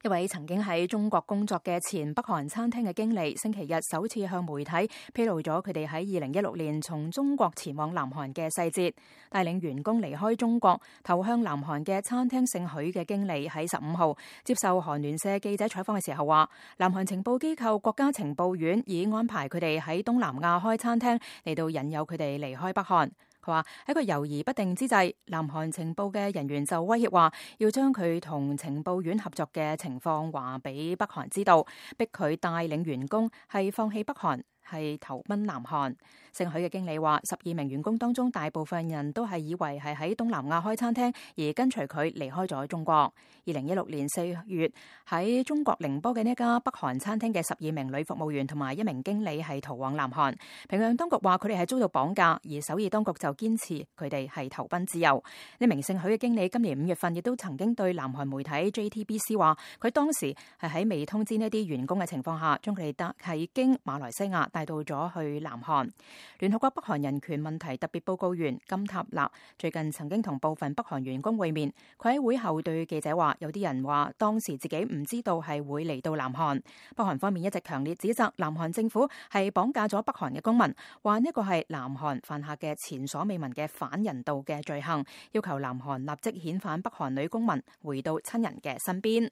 一位曾經喺中國工作嘅前北韓餐廳嘅經理，星期日首次向媒體披露咗佢哋喺2016年從中國前往南韓嘅細節。帶領員工離開中國投向南韓嘅餐廳姓許嘅經理喺15號接受韓聯社記者採訪嘅時候話，南韓情報機構國家情報院已安排佢哋喺東南亞開餐廳嚟到引誘佢哋離開北韓。佢話喺個猶豫不定之際，南韓情報嘅人員就威脅話要將佢同情報院合作嘅情況話俾北韓知道，逼佢帶領員工係放棄北韓，係投奔南韓。姓許嘅經理話，12名員工當中大部分人都係以為係喺東南亞開餐廳，而跟隨佢離開咗中國。2016年4月喺中國寧波嘅呢一家北韓餐廳嘅12名女服務員同埋1名經理係逃往南韓。平壤當局話佢哋係遭到綁架，而首爾當局就堅持佢哋係投奔自由。呢名姓許嘅經理今年5月份亦都曾經對南韓媒體 JTBC 話，佢當時係喺未通知呢啲員工嘅情況下，將佢哋係經馬來西亞帶到咗去南韓。聯合國北韓人權問題特別報告員金塔納最近曾經同部分北韓員工會面，佢喺會後對記者話，有啲人話當時自己唔知道係會嚟到南韓。北韓方面一直強烈指責南韓政府係綁架咗北韓嘅公民，話呢個係南韓犯下嘅前所未聞嘅反人道嘅罪行，要求南韓立即遣返北韓女公民回到親人嘅身邊。